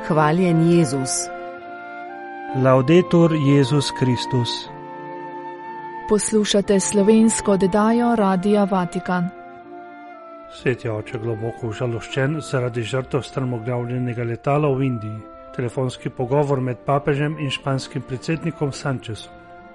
Hvaljen Jezus. Laudetur Jezus Kristus. Poslušate slovensko oddajo Radia Vatikan. Sveti oče globoko užaloščen zaradi žrtev strmoglavljenega letala v Indiji. Telefonski pogovor med papežem in španskim predsednikom Sanchezom.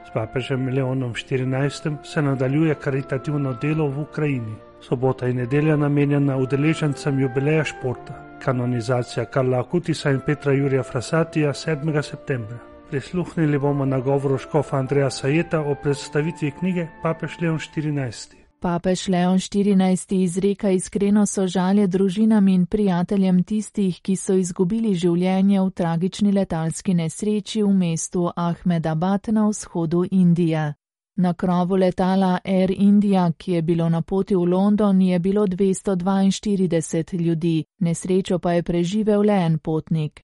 S papežem Leonom XIV se nadaljuje karitativno delo v Ukrajini. Sobota in nedelja namenjena udeležencem jubileja športa. Kanonizacija Karla Akutisa in Petra Jurija Frassatija 7. septembra. Prisluhnili bomo nagovoru škofa Andreja Sajeta o predstavitvi knjige Papež Leon XIV. Papež Leon XIV izreka iskreno sožalje družinam in prijateljem tistih, ki so izgubili življenje v tragični letalski nesreči v mestu Ahmedabad na vzhodu Indije. Na krovu letala Air India, ki je bilo na poti v London, je bilo 242 ljudi, nesrečo pa je preživel le en potnik.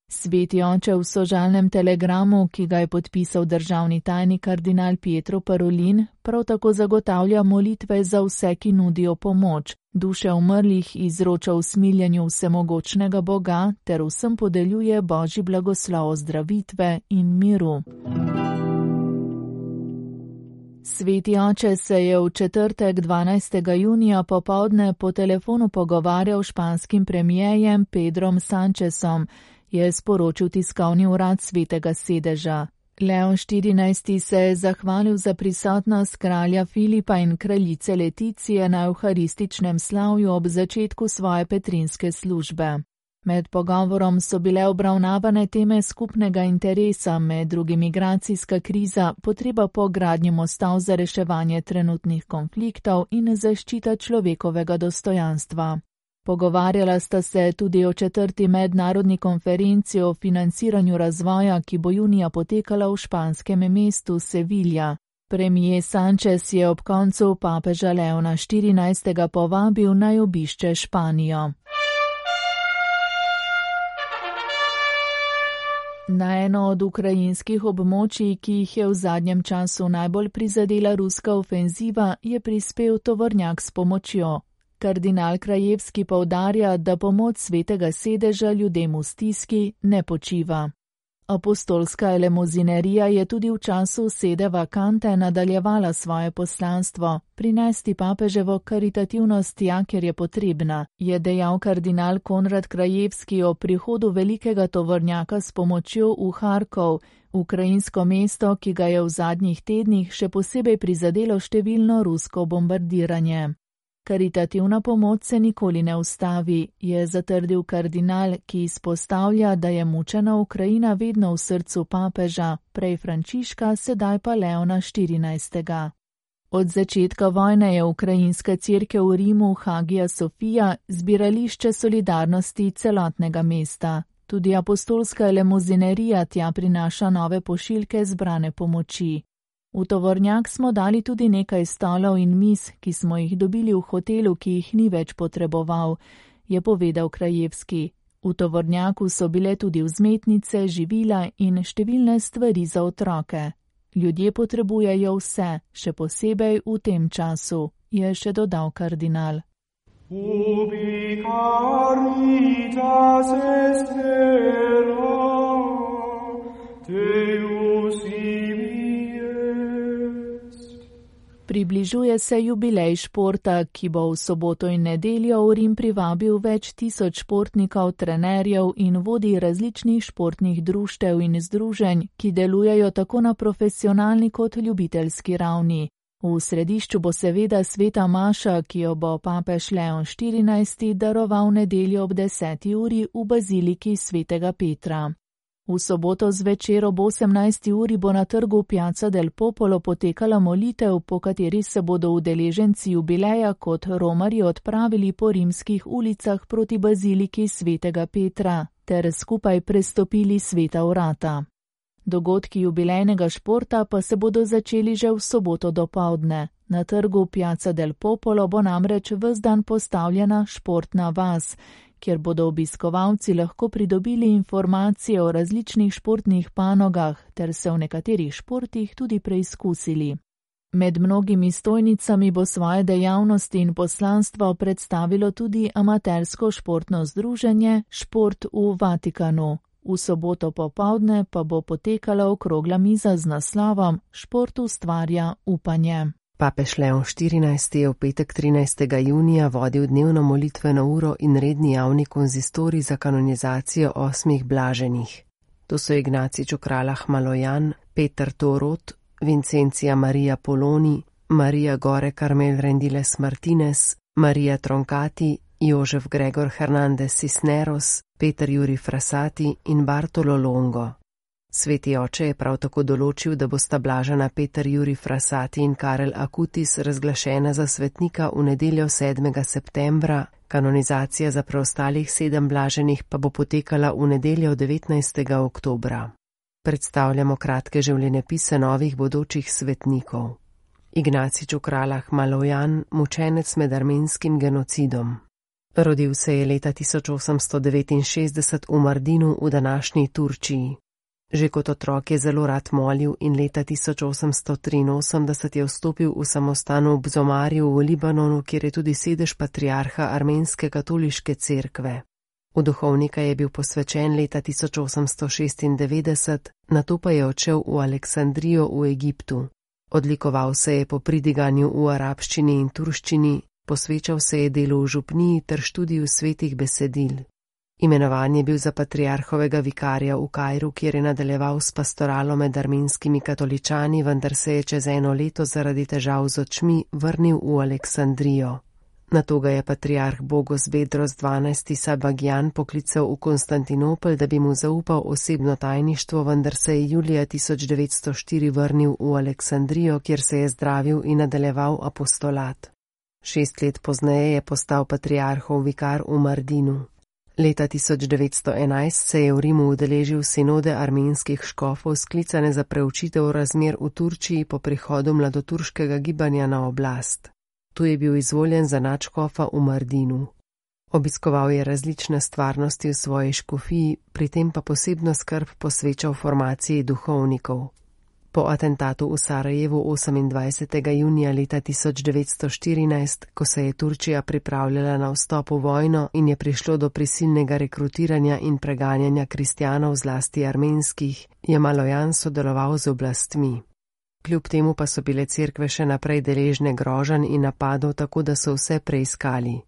Sveti oče v sožalnem telegramu, ki ga je podpisal državni tajnik kardinal Pietro Parolin, prav tako zagotavlja molitve za vse, ki nudijo pomoč, duše umrlih izroča usmiljenju vsemogočnega Boga ter vsem podeljuje Božji blagoslov ozdravitve in miru. Sveti oče se je v četrtek 12. junija popoldne po telefonu pogovarjal s španskim premijejem Pedrom Sanchezom, je sporočil tiskovni urad Svetega sedeža. Leon XIV se je zahvalil za prisotnost kralja Filipa in kraljice Leticije na evharističnem slavju ob začetku svoje petrinske službe. Med pogovorom so bile obravnavane teme skupnega interesa, med drugim migracijska kriza, potreba po gradnji mostov za reševanje trenutnih konfliktov in zaščita človekovega dostojanstva. Pogovarjala sta se tudi o 4. mednarodni konferenci o financiranju razvoja, ki bo junija potekala v španskem mestu Sevilla. Premijer Sanchez je ob koncu papeža Leona XIV. Povabil naj obišče Španijo. Na eno od ukrajinskih območij, ki jih je v zadnjem času najbolj prizadela ruska ofenziva, je prispel tovornjak s pomočjo. Kardinal Krajevski poudarja, da pomoč Svetega sedeža ljudem v stiski ne počiva. Apostolska elemozinerija je tudi v času sede vakante nadaljevala svoje poslanstvo, prinesti papeževo karitativnost tja, ker je potrebna, je dejal kardinal Konrad Krajevski o prihodu velikega tovornjaka s pomočjo v Harkov, ukrajinsko mesto, ki ga je v zadnjih tednih še posebej prizadelo številno rusko bombardiranje. Karitativna pomoč se nikoli ne ustavi, je zatrdil kardinal, ki izpostavlja, da je mučena Ukrajina vedno v srcu papeža, prej Frančiška, sedaj pa Leona XIV. Od začetka vojne je ukrajinska cerkev v Rimu Hagia Sofia zbirališče solidarnosti celotnega mesta. Tudi apostolska elemozinerija tja prinaša nove pošiljke zbrane pomoči. V tovornjak smo dali tudi nekaj stolov in miz, ki smo jih dobili v hotelu, ki jih ni več potreboval, je povedal Krajevski. V tovornjaku so bile tudi vzmetnice, živila in številne stvari za otroke. Ljudje potrebujejo vse, še posebej v tem času, je še dodal kardinal. Ubi caritas estera, Deus Približuje se jubilej športa, ki bo v soboto in nedeljo v Rim privabil več tisoč športnikov, trenerjev in vodij različnih športnih društev in združenj, ki delujejo tako na profesionalni kot ljubiteljski ravni. V središču bo seveda sveta maša, ki jo bo papež Leon XIV. Daroval nedeljo ob 10. uri v baziliki svetega Petra. V soboto zvečer ob 18. uri bo na trgu Piazza del Popolo potekala molitev, po kateri se bodo udeleženci jubileja kot romarji odpravili po rimskih ulicah proti baziliki svetega Petra ter skupaj prestopili sveta vrata. Dogodki jubilejnega športa pa se bodo začeli že v soboto dopoldne. Na trgu Piazza del Popolo bo namreč ves dan postavljena športna vas, kjer bodo obiskovalci lahko pridobili informacije o različnih športnih panogah ter se v nekaterih športih tudi preizkusili. Med mnogimi stojnicami bo svoje dejavnosti in poslanstvo predstavilo tudi amatersko športno združenje Šport v Vatikanu. V soboto popoldne pa bo potekala okrogla miza z naslovom Šport ustvarja upanje. Papež Leon XIV je v petek 13. junija vodil dnevno molitveno uro in redni javni konzistorij za kanonizacijo 8 blaženih. To so Ignacij Čokralah Malojan, Peter Torot, Vincencija Marija Poloni, Marija Gore Carmel Rendiles Martinez, Marija Troncati, Jožef Gregor Hernandez Cisneros, Peter Juri Frassati in Bartolo Longo. Sveti oče je prav tako določil, da bosta blažena Peter Juri Frassati in Karel Akutis razglašena za svetnika v nedeljo 7. septembra, kanonizacija za preostalih 7 blaženih pa bo potekala v nedeljo 19. oktobra. Predstavljamo kratke življenjepise novih bodočih svetnikov. Ignacij Čokralah Malojan, mučenec med armenskim genocidom. Rodil se je leta 1869 v Mardinu v današnji Turčiji. Že kot otrok je zelo rad molil in leta 1883 je vstopil v samostan v Bzomarju v Libanonu, kjer je tudi sedež patriarha armenske katoliške cerkve. V duhovnika je bil posvečen leta 1896, nato pa je odšel v Aleksandrijo v Egiptu. Odlikoval se je po pridiganju v arabščini in turščini, posvečal se je delu v župniji ter študiju svetih besedil. Imenovan je bil za patriarhovega vikarja v Kairu, kjer je nadaljeval s pastoralo med armenskimi katoličani, vendar se je čez 1 leto zaradi težav z očmi vrnil v Aleksandrijo. Nato ga je patriarh Bogos Bedros XII. Sabagjan poklical v Konstantinopel, da bi mu zaupal osebno tajništvo, vendar se je julija 1904 vrnil v Aleksandrijo, kjer se je zdravil in nadaljeval apostolat. 6 let pozneje je postal patriarhov vikar v Mardinu. Leta 1911 se je v Rimu udeležil sinode armenskih škofov, sklicane za preučitev razmer v Turčiji po prihodu mladoturškega gibanja na oblast. Tu je bil izvoljen za nadškofa v Mardinu. Obiskoval je različne stvarnosti v svoji škofiji, pri tem pa posebno skrb posvečal formaciji duhovnikov. Po atentatu v Sarajevu 28. junija leta 1914, ko se je Turčija pripravljala na vstop v vojno in je prišlo do prisilnega rekrutiranja in preganjanja kristjanov, zlasti armenskih, je Malojan sodeloval z oblastmi. Kljub temu pa so bile cerkve še naprej deležne groženj in napadov, tako da so vse preiskali.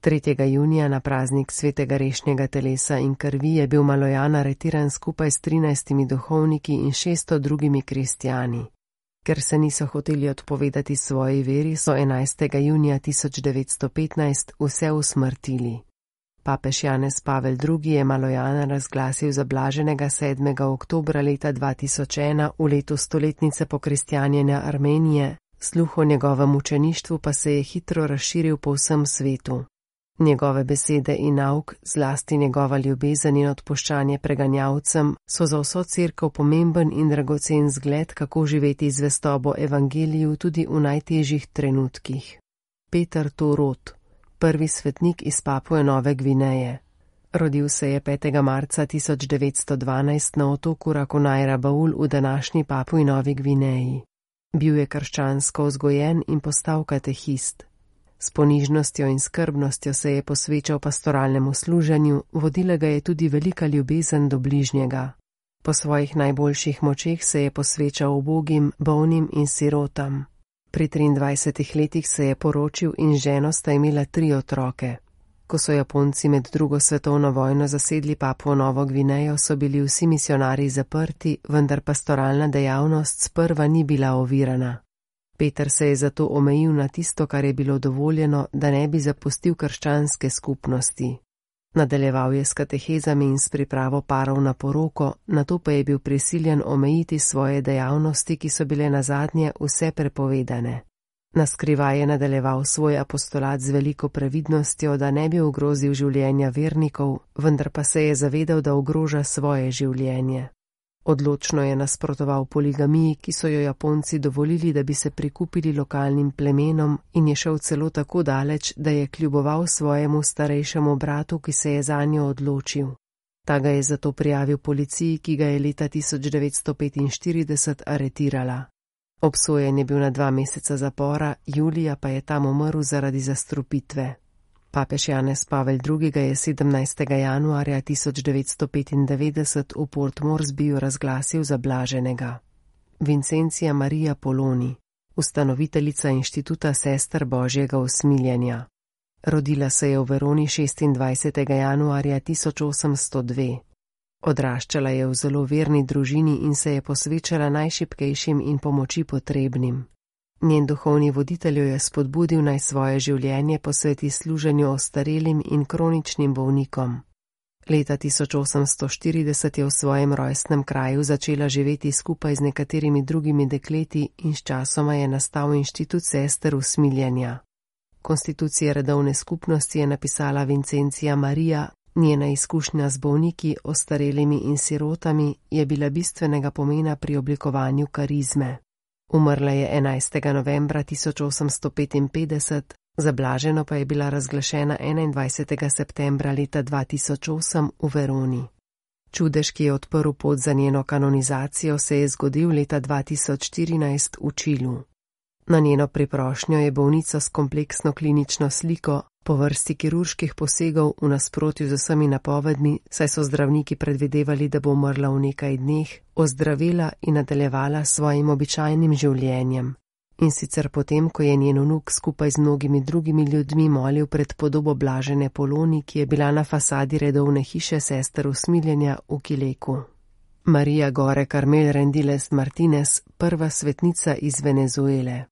3. junija na praznik svetega rešnjega telesa in krvi je bil Malojan aretiran skupaj s 13 duhovniki in 600 drugimi kristjani. Ker se niso hoteli odpovedati svoji veri, so 11. junija 1915 vse usmrtili. Papež Janez Pavel II. Je Malojana razglasil za blaženega 7. oktobra leta 2001 v letu stoletnice pokristjanjenja Armenije, sluh o njegovem mučeništvu pa se je hitro razširil po vsem svetu. Njegove besede in nauk, zlasti njegova ljubezen in odpuščanje preganjavcem, so za vso cerkev pomemben in dragocen zgled, kako živeti zvestobo evangeliju tudi v najtežjih trenutkih. Peter Torot, prvi svetnik iz Papue Nove Gvineje. Rodil se je 5. marca 1912 na otoku Rakonaj Baul v današnji Papui Novi Gvineji. Bil je krščansko vzgojen in postal katehist. S ponižnostjo in skrbnostjo se je posvečal pastoralnemu služenju, vodila ga je tudi velika ljubezen do bližnjega. Po svojih najboljših močeh se je posvečal ubogim, bolnim in sirotam. Pri 23 letih se je poročil in z ženo sta imela 3 otroke. Ko so Japonci med 2. svetovno vojno zasedli Papuo Novo Gvinejo, so bili vsi misionarji zaprti, vendar pastoralna dejavnost sprva ni bila ovirana. Peter se je zato omejil na tisto, kar je bilo dovoljeno, da ne bi zapustil krščanske skupnosti. Nadaljeval je s katehezami in s pripravo parov na poroko, nato pa je bil prisiljen omejiti svoje dejavnosti, ki so bile nazadnje vse prepovedane. Naskrivaj je nadaljeval svoj apostolat z veliko previdnostjo, da ne bi ogrozil življenja vernikov, vendar pa se je zavedal, da ogroža svoje življenje. Odločno je nasprotoval poligamiji, ki so jo Japonci dovolili, da bi se prikupili lokalnim plemenom, in je šel celo tako daleč, da je kljuboval svojemu starejšemu bratu, ki se je zanjo odločil. Ta ga je zato prijavil policiji, ki ga je leta 1945 aretirala. Obsojen je bil na 2 meseca zapora, julija pa je tam umrl zaradi zastrupitve. Papež Janez Pavel II. Je 17. januarja 1995 v Port Moresbyju razglasil za blaženega. Vincencija Marija Poloni, ustanoviteljica inštituta sester Božjega usmiljenja. Rodila se je v Veroni 26. januarja 1802. Odraščala je v zelo verni družini in se je posvečala najšibkejšim in pomoči potrebnim. Njen duhovni voditelj jo je spodbudil, naj svoje življenje posveti služenju ostarelim in kroničnim bolnikom. Leta 1840 je v svojem rojstnem kraju začela živeti skupaj z nekaterimi drugimi dekleti in sčasoma je nastal inštitut sester usmiljenja. Konstitucije redovne skupnosti je napisala Vincencija Marija, njena izkušnja z bolniki, ostarelimi in sirotami je bila bistvenega pomena pri oblikovanju karizme. Umrla je 11. novembra 1855, za blaženo pa je bila razglašena 21. septembra leta 2008 v Veroni. Čudež, ki je odprl pot za njeno kanonizacijo, se je zgodil leta 2014 v Čilu. Na njeno priprošnjo je bolnica s kompleksno klinično sliko, po vrsti kirurških posegov v nasprotju z vsemi napovedmi, saj so zdravniki predvidevali, da bo umrla v nekaj dneh, ozdravela in nadaljevala s svojim običajnim življenjem. In sicer potem, ko je njen vnuk skupaj z mnogimi drugimi ljudmi molil pred podobo blažene Poloni, ki je bila na fasadi redovne hiše sester usmiljenja v Kileku. Marija Gore Carmel Rendiles Martinez, prva svetnica iz Venezuele.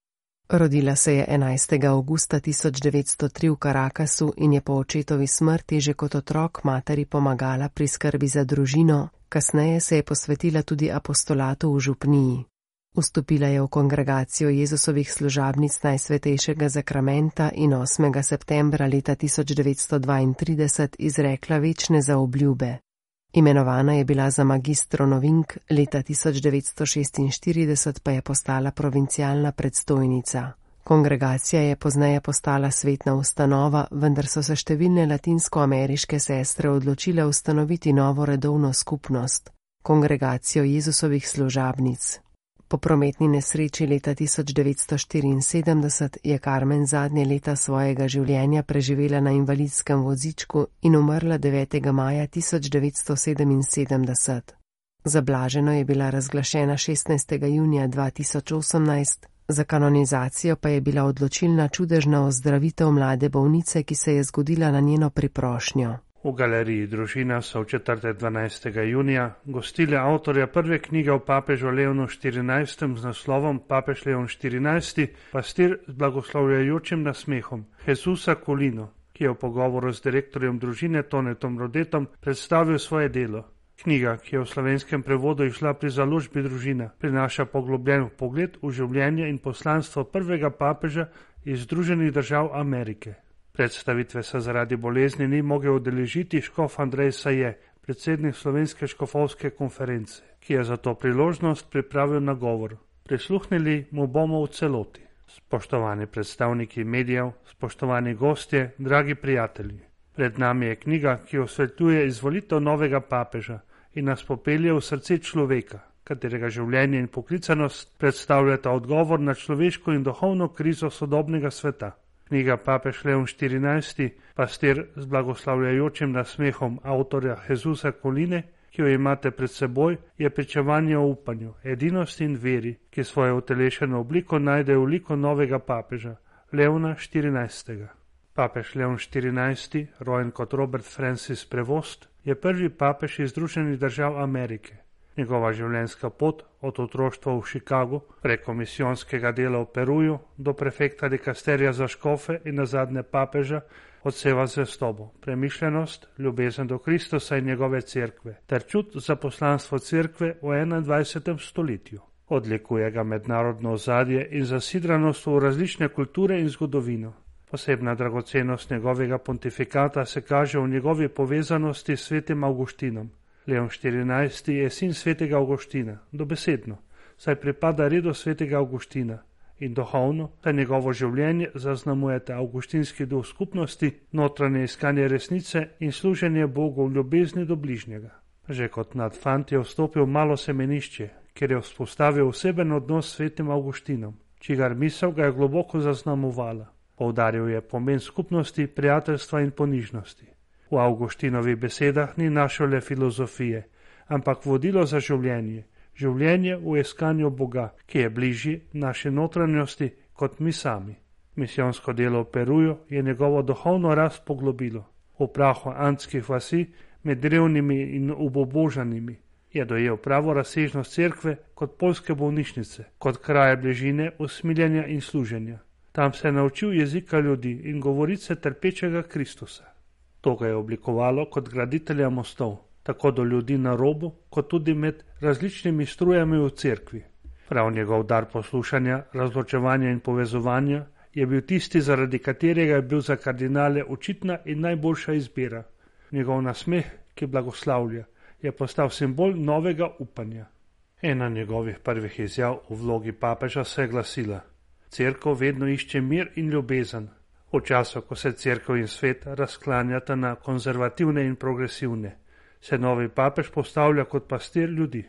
Rodila se je 11. avgusta 1903 v Caracasu in je po očetovi smrti že kot otrok materi pomagala pri skrbi za družino, kasneje se je posvetila tudi apostolatu v župniji. Vstopila je v kongregacijo Jezusovih služabnic Najsvetejšega zakramenta in 8. septembra leta 1932 izrekla večne zaobljube. Imenovana je bila za magistro novink, leta 1946 pa je postala provincialna predstojnica. Kongregacija je pozneje postala svetna ustanova, vendar so se številne latinskoameriške sestre odločile ustanoviti novo redovno skupnost, kongregacijo Jezusovih služabnic. Po prometni nesreči leta 1974 je Carmen zadnje leta svojega življenja preživela na invalidskem vozičku in umrla 9. maja 1977. Za blaženo je bila razglašena 16. junija 2018, za kanonizacijo pa je bila odločilna čudežna ozdravitev mlade bolnice, ki se je zgodila na njeno priprošnjo. V galeriji Družina so v četrtek 12. junija gostili avtorja prve knjige o papežu Leonu XIV z naslovom Papež Leon XIV, pastir z blagoslavljajočim nasmehom, Jezusa Colino, ki je v pogovoru z direktorjem Družine Tonetom Rodetom predstavil svoje delo. Knjiga, ki je v slovenskem prevodu išla pri založbi Družina, prinaša poglobljen pogled v življenje in poslanstvo prvega papeža iz Združenih držav Amerike. Predstavitve se zaradi bolezni ni mogel udeležiti škof Andrej Saje, predsednik Slovenske škofovske konference, ki je za to priložnost pripravil nagovor. Prisluhnili mu bomo v celoti. Spoštovani predstavniki medijev, spoštovani gostje, dragi prijatelji. Pred nami je knjiga, ki osvetljuje izvolitev novega papeža in nas popelje v srce človeka, katerega življenje in poklicanost predstavljata odgovor na človeško in duhovno krizo sodobnega sveta. Knjiga Papež Leon XIV, pastir z blagoslavljajočim nasmehom avtorja Jezusa Coline, ki jo imate pred seboj, je pričevanje o upanju, edinosti in veri, ki svojo utelešeno obliko najde v liku novega papeža, Leona XIV. Papež Leon XIV, rojen kot Robert Francis Prevost, je prvi papež iz Združenih držav Amerike. Njegova življenjska pot od otroštva v Chicagu preko misijonskega dela v Peruju do prefekta dikasterija za škofe in nazadnje papeža odseva zvestobo, premišljenost, ljubezen do Kristusa in njegove cerkve ter čut za poslanstvo cerkve v 21. stoletju. Odlikuje ga mednarodno ozadje in zasidranost v različne kulture in zgodovino. Posebna dragocenost njegovega pontifikata se kaže v njegovi povezanosti s svetim Avgustinom. Leon XIV je sin svetega Avgustina, dobesedno, saj pripada redu svetega Avgustina in duhovno, saj njegovo življenje zaznamujete avgustinski duh skupnosti, notranje iskanje resnice in služenje Bogu v ljubezni do bližnjega. Že kot mlad fant je vstopil v malo semenišče, kjer je vzpostavil oseben odnos s svetim Avgustinom, čigar misel ga je globoko zaznamovala. Poudaril je pomen skupnosti, prijateljstva in ponižnosti. V Avgustinovih besedah ni našel le filozofije, ampak vodilo za življenje, življenje v iskanju Boga, ki je bližji naši notranjosti kot mi sami. Misijonsko delo v Peruju je njegovo duhovno rast poglobilo. V prahu andskih vasi, med drevnimi in ubobožanimi, je dojel pravo razsežnost cerkve kot poljske bolnišnice, kot kraje bližine, usmiljenja in služenja. Tam se je naučil jezika ljudi in govorice trpečega Kristusa. To ga je oblikovalo kot graditelja mostov, tako do ljudi na robu, kot tudi med različnimi strujami v cerkvi. Prav njegov dar poslušanja, razločevanja in povezovanja je bil tisti, zaradi katerega je bil za kardinale očitna in najboljša izbira. Njegov nasmeh, ki blagoslavlja, je postal simbol novega upanja. Ena njegovih prvih izjav v vlogi papeža se je glasila: Cerkev vedno išče mir in ljubezen. V času, ko se cerkev in svet razklanjata na konzervativne in progresivne, se novi papež postavlja kot pastir ljudi.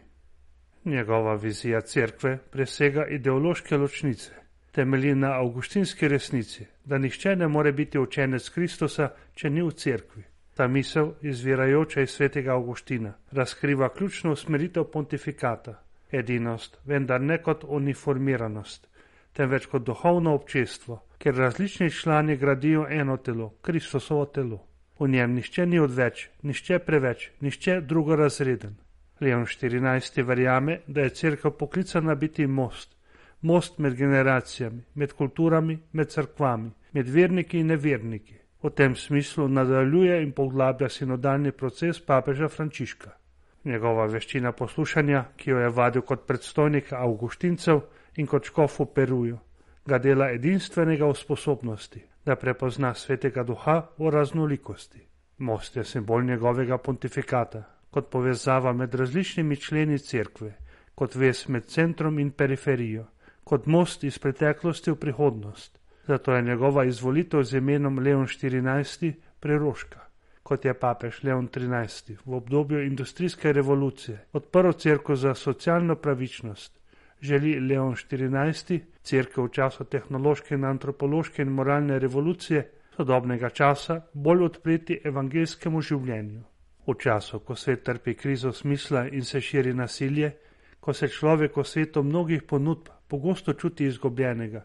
Njegova vizija cerkve presega ideološke ločnice, temelji na avgustinski resnici, da nihče ne more biti učenec Kristusa, če ni v cerkvi. Ta misel, izvirajoča iz svetega Avgustina, razkriva ključno usmeritev pontifikata, edinost, vendar ne kot uniformiranost, temveč kot duhovno občestvo, ker različni člani gradijo eno telo, Kristusovo telo. V njem nihče ni odveč, nihče preveč, nihče drugorazreden. Leon XIV. Verjame, da je cerkev poklicana biti most, most med generacijami, med kulturami, med cerkvami, med verniki in neverniki. V tem smislu nadaljuje in poglablja sinodalni proces papeža Frančiška. Njegova veščina poslušanja, ki jo je vadil kot predstojnik avgustincev in kot škof v Peruju, ga dela edinstvenega v sposobnosti, da prepozna svetega duha v raznolikosti. Most je simbol njegovega pontifikata, kot povezava med različnimi členi cerkve, kot vez med centrom in periferijo, kot most iz preteklosti v prihodnost. Zato je njegova izvolitev z imenom Leon XIV. Preroška. Kot je papež Leon XIII. V obdobju industrijske revolucije odprl cerkev za socialno pravičnost, želi Leon XIV. Cerkev v času tehnološke in antropološke in moralne revolucije sodobnega časa bolj odpreti evangeljskemu življenju. V času, ko svet trpi krizo smisla in se širi nasilje, ko se človek v svetu mnogih ponudb pogosto čuti izgubljenega,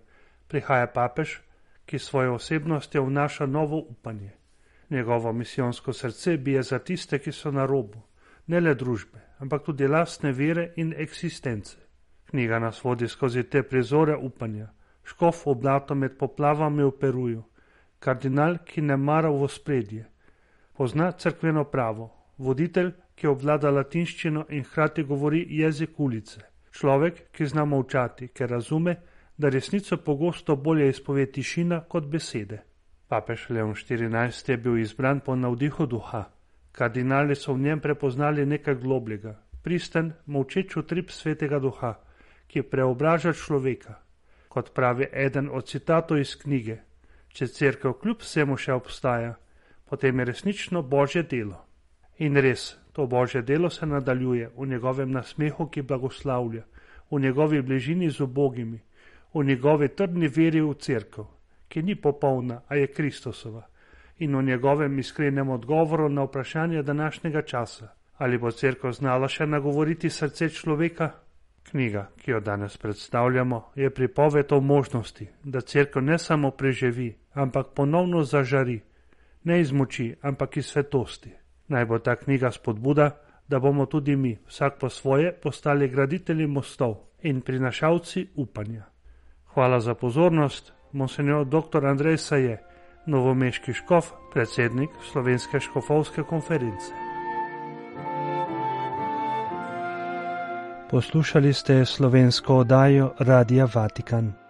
prihaja papež, ki svojo osebnostjo vnaša novo upanje. Njegovo misijonsko srce bije za tiste, ki so na robu, ne le družbe, ampak tudi lastne vere in eksistence. Knjiga nas vodi skozi te prizore upanja. Škof v blato med poplavami v Peruju, kardinal, ki ne mara v ospredje, pozna cerkveno pravo, voditelj, ki obvlada latinščino in hkrati govori jezik ulice, človek, ki zna molčati, ker razume, da resnico pogosto bolje izpove tišina kot besede. Papež Leon XIV. Je bil izbran po navdihu duha. Kardinali so v njem prepoznali nekaj globljega, pristen, molčeč utrip svetega duha, ki preobraža človeka. Kot pravi eden od citatov iz knjige, če cerkev kljub vsemu še obstaja, potem je resnično Božje delo. In res, to Božje delo se nadaljuje v njegovem nasmehu, ki blagoslavlja, v njegovi bližini z ubogimi, v njegovi trdni veri v cerkev, ki ni popolna, a je Kristusova, in v njegovem iskrenem odgovoru na vprašanje današnjega časa, ali bo cerkev znala še nagovoriti srce človeka. Knjiga, ki jo danes predstavljamo, je pripoved o možnosti, da cerkev ne samo preživi, ampak ponovno zažari, ne iz moči, ampak iz svetosti. Naj bo ta knjiga spodbuda, da bomo tudi mi, vsak po svoje, postali graditelji mostov in prinašalci upanja. Hvala za pozornost, monsenjor dr. Andrej Saje, novomeški škof, predsednik Slovenske škofovske konference. Poslušali ste slovensko oddajo Radia Vatikan.